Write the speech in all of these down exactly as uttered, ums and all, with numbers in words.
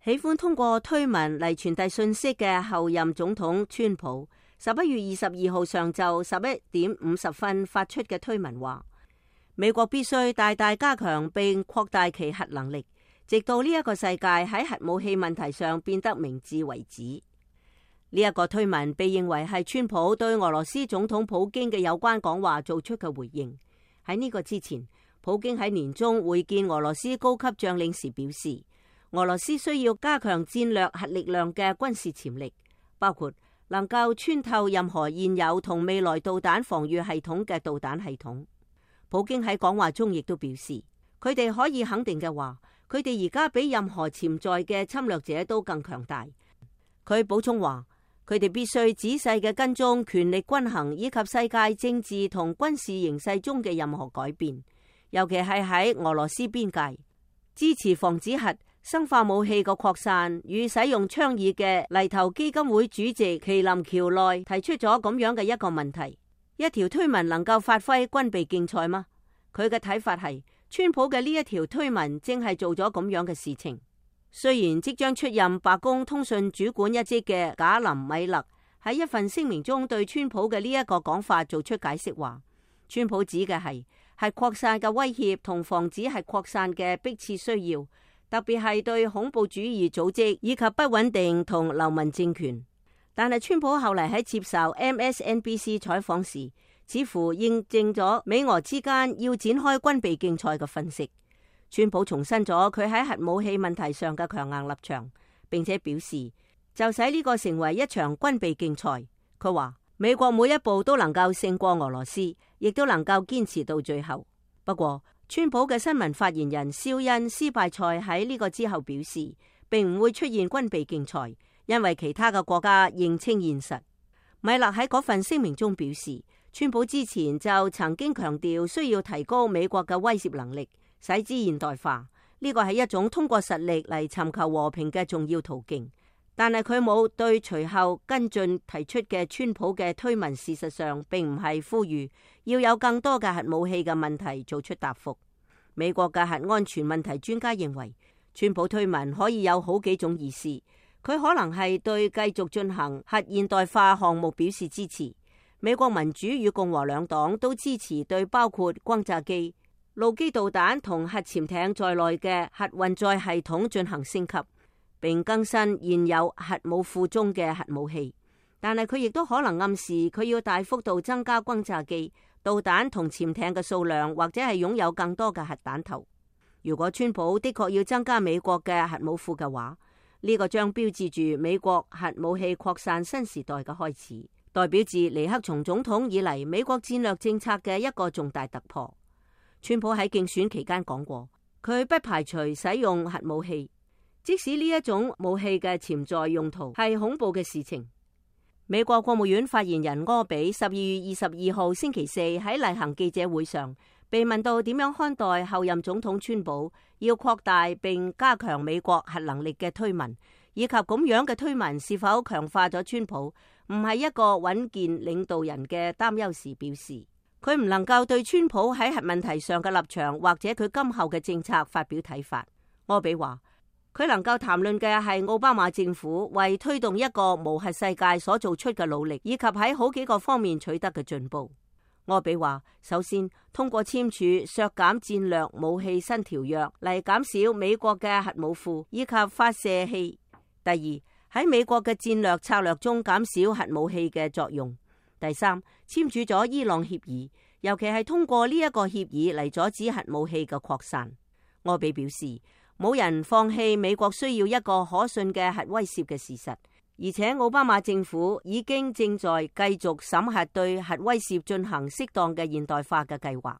喜歡通過推文嚟傳遞信息嘅後任總統川普，十一月二十二號上晝十一點五十分發出嘅推文話，美國必須大大加強並擴大其核能力，直到呢一個世界喺核武器問題上變得明智為止。呢一個推文被認為係川普對俄羅斯總統普京嘅有關講話做出嘅回應。喺呢個之前，普京喺年中會見俄羅斯高級將領時表示，俄羅斯需要加強戰略核力量嘅軍事潛力，包括能夠穿透任何現有同未來導彈防禦系統嘅導彈系統。普京喺講話中亦都表示，佢哋可以肯定嘅話，佢哋而家比任何潛在嘅侵略者都更強大。佢補充話，佢哋必須仔細嘅跟蹤權力均衡以及世界政治同軍事形勢中嘅任何改變，尤其係喺俄羅斯邊界，支持防止核生化武器嘅擴散與使用倡議嘅泥頭基金會主席麒麟橋內提出咗咁樣嘅一個問題：一條推文能夠發揮軍備競賽嗎？佢嘅睇法係，川普嘅呢一條推文正係做咗咁樣嘅事情。雖然即將出任白宮通訊主管一職嘅賈林米勒喺一份聲明中對川普嘅呢一個講法做出解釋，話川普指嘅係核擴散嘅威脅同防止核擴散嘅迫切需要，特別係對恐怖主義組織以及不穩定同流氓政權。但係川普後嚟喺接受 M S N B C 採訪時，似乎認證咗美俄之間要展開軍備競賽嘅分析。川普重申咗佢喺核武器問題上嘅強硬立場，並且表示就使呢個成為一場軍備競賽。佢話美國每一步都能夠勝過俄羅斯，亦都能夠堅持到最後。不過川普嘅新聞發言人肖恩斯拜塞喺呢個之後表示，並唔會出現軍備競賽，因為其他嘅國家認清現實。米勒喺嗰份聲明中表示，川普之前就曾經強調需要提高美國嘅威懾能力，使之現代化，呢個係一種通過實力嚟尋求和平嘅重要途徑。但係佢冇對隨後跟進提出嘅川普嘅推文，事實上並唔係呼籲要有更多嘅核武器嘅問題做出答覆。美國嘅核安全問題專家認為，川普推文可以有好幾種意思。佢可能係對繼續進行核現代化項目表示支持。美國民主與共和兩黨都支持對包括轟炸機、陸基導彈同核潛艇在內嘅核運載系統進行升級，並更新現有核武庫中嘅核武器。但係佢亦都可能暗示佢要大幅度增加轟炸機、導彈同潛艇嘅數量，或者係擁有更多嘅核彈頭。如果川普的確要增加美國嘅核武庫嘅話，呢個將標誌住美國核武器擴散新時代嘅開始，代表自尼克松總統以嚟美國戰略政策嘅一個重大突破。川普喺競選期間講過，佢不排除使用核武器，即使呢一種武器嘅潛在用途係恐怖嘅事情。美國國務院發言人柯比十二月二十二號星期四喺例行記者會上被問到點樣看待後任總統川普要擴大並加強美國核能力嘅推文，以及咁樣嘅推文是否強化咗川普唔係一個穩健領導人嘅擔憂時，表示佢唔能夠對川普喺核問題上嘅立場或者佢今後嘅政策發表睇法。柯比話佢能夠談論嘅係奧巴馬政府為推動一個無核世界所做出嘅努力，以及喺好幾個方面取得嘅進步。柯比話，首先通過簽署削減戰略武器新條約嚟減少美國嘅核武庫以及發射器；第二，喺美國嘅戰略策略中減少核武器嘅作用。第三，簽署咗伊朗協議，尤其係通過呢一個協議嚟阻止核武器嘅擴散。柯比表示，冇人放棄美國需要一個可信嘅核威懾嘅事實，而且奧巴馬政府已經正在繼續審核對核威懾進行適當嘅現代化嘅計劃。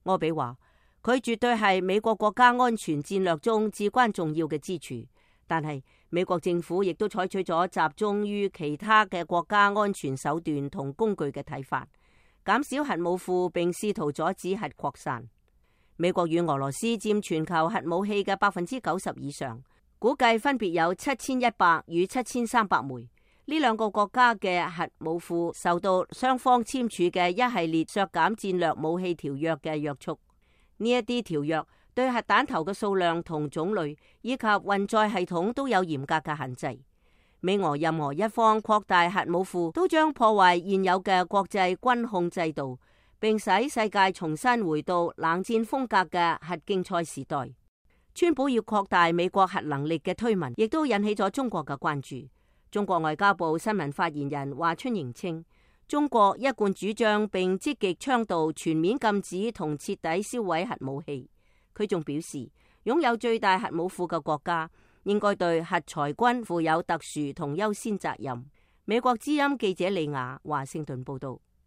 柯比話，佢絕對係美國國家安全戰略中至關重要嘅支柱。但係美國政府亦都採取咗集中於其他嘅國家安全手段同工具嘅睇法，減少核武庫並試圖阻止核擴散。美國與俄羅斯佔全球核武器嘅百分之九十以上，估計分別有七千一百與七千三百枚。呢兩個國家嘅核武庫受到雙方簽署嘅一系列削減戰略武器條約嘅約束。呢一啲條約對核彈頭嘅數量同種類以及運載系統都有嚴格嘅限制。美俄任何一方擴大核武庫，都將破壞現有嘅國際軍控制度，並使世界重新回到冷戰風格嘅核競賽時代。川普要擴大美國核能力嘅推文，亦都引起咗中國嘅關注。中國外交部新聞發言人華春瑩稱，中國一貫主張並積極倡導全面禁止同徹底銷毀核武器。佢仲表示，擁有最大核武庫嘅國家應該對核裁軍負有特殊同優先責任。美國之音記者李雅華盛頓報道。